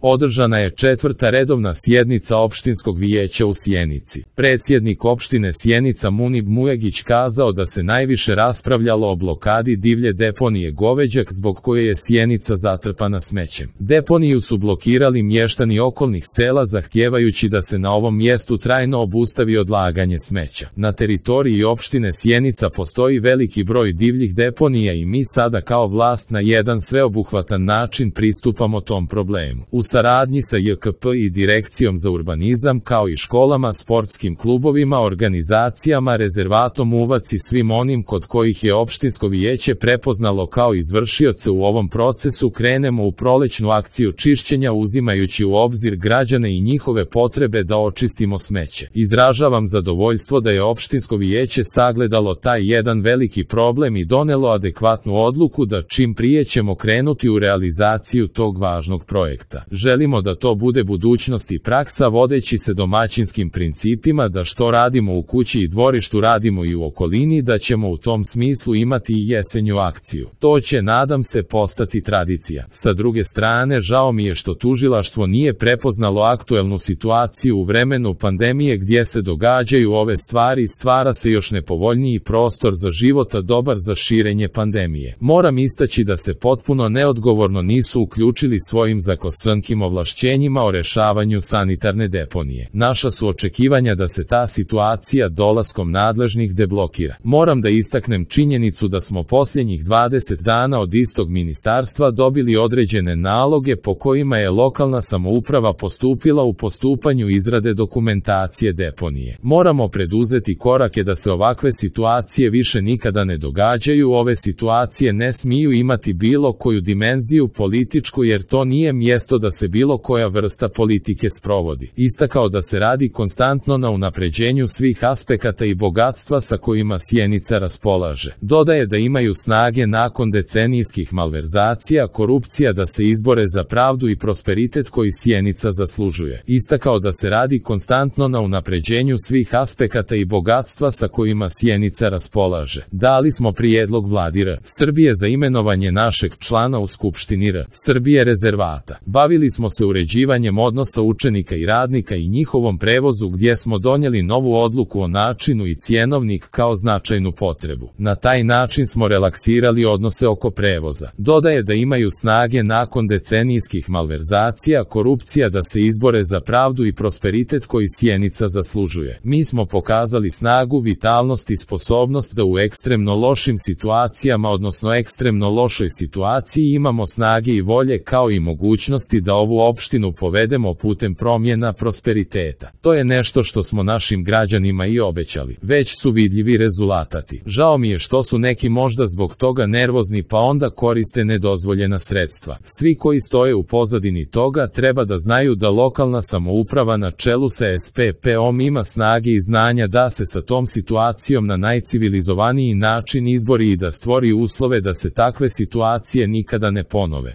Održana je 4. redovna sjednica opštinskog vijeća u Sjenici. Predsjednik opštine Sjenica Munib Mujagić kazao da se najviše raspravljalo o blokadi divlje deponije Goveđak zbog koje je Sjenica zatrpana smećem. Deponiju su blokirali mještani okolnih sela zahtijevajući da se na ovom mjestu trajno obustavi odlaganje smeća. Na teritoriji opštine Sjenica postoji veliki broj divljih deponija i mi sada kao vlast na jedan sveobuhvatan način pristupamo tom problemu. U saradnji sa JKP i Direkcijom za urbanizam kao i školama, sportskim klubovima, organizacijama, rezervatom Uvac i svim onim kod kojih je opštinsko vijeće prepoznalo kao izvršioce u ovom procesu krenemo u prolećnu akciju čišćenja uzimajući u obzir građane i njihove potrebe da očistimo smeće. Izražavam zadovoljstvo da je opštinsko vijeće sagledalo taj jedan veliki problem i donelo adekvatnu odluku da čim prije ćemo krenuti u realizaciju tog važnog projekta. Želimo da to bude budućnost i praksa vodeći se domaćinskim principima da što radimo u kući i dvorištu radimo i u okolini, da ćemo u tom smislu imati i jesenju akciju. To će, nadam se, postati tradicija. Sa druge strane, žao mi je što tužilaštvo nije prepoznalo aktuelnu situaciju u vremenu pandemije gdje se događaju ove stvari i stvara se još nepovoljniji prostor za života dobar za širenje pandemije. Moram istaći da se potpuno neodgovorno nisu uključili svojim zakonskim ovlašćenjima o rešavanju sanitarne deponije. Naša su očekivanja da se ta situacija dolaskom nadležnih deblokira. Moram da istaknem činjenicu da smo posljednjih 20 dana od istog ministarstva dobili određene naloge po kojima je lokalna samouprava postupila u postupanju izrade dokumentacije deponije. Moramo preduzeti korake da se ovakve situacije više nikada ne događaju. Ove situacije ne smiju imati bilo koju dimenziju političku jer to nije mjesto da se bilo koja vrsta politike sprovodi. Istakao da se radi konstantno na unapređenju svih aspekata i bogatstva sa kojima Sjenica raspolaže. Dodaje da imaju snage nakon decenijskih malverzacija, korupcija da se izbore za pravdu i prosperitet koji Sjenica zaslužuje. Istakao da se radi konstantno na unapređenju svih aspekata i bogatstva sa kojima Sjenica raspolaže. Dali smo prijedlog Vladi R. Srbije za imenovanje našeg člana u Skupštini R. Srbije rezervata. Bavili smo se uređivanjem odnosa učenika i radnika i njihovom prevozu gdje smo donijeli novu odluku o načinu i cjenovnik kao značajnu potrebu. Na taj način smo relaksirali odnose oko prevoza. Dodaje da imaju snage nakon decenijskih malverzacija, korupcija da se izbore za pravdu i prosperitet koji Sjenica zaslužuje. Mi smo pokazali snagu, vitalnost i sposobnost da u ekstremno lošim situacijama, odnosno ekstremno lošoj situaciji imamo snage i volje kao i mogućnosti da ovu opštinu povedemo putem promjena prosperiteta. To je nešto što smo našim građanima i obećali. Već su vidljivi rezultati. Žao mi je što su neki možda zbog toga nervozni pa onda koriste nedozvoljena sredstva. Svi koji stoje u pozadini toga treba da znaju da lokalna samouprava na čelu sa SPP-om ima snage i znanja da se sa tom situacijom na najcivilizovaniji način izbori i da stvori uslove da se takve situacije nikada ne ponove.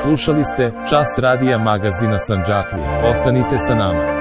Slušali ste Čas radija magazina Sandžaklije. Ostanite sa nama.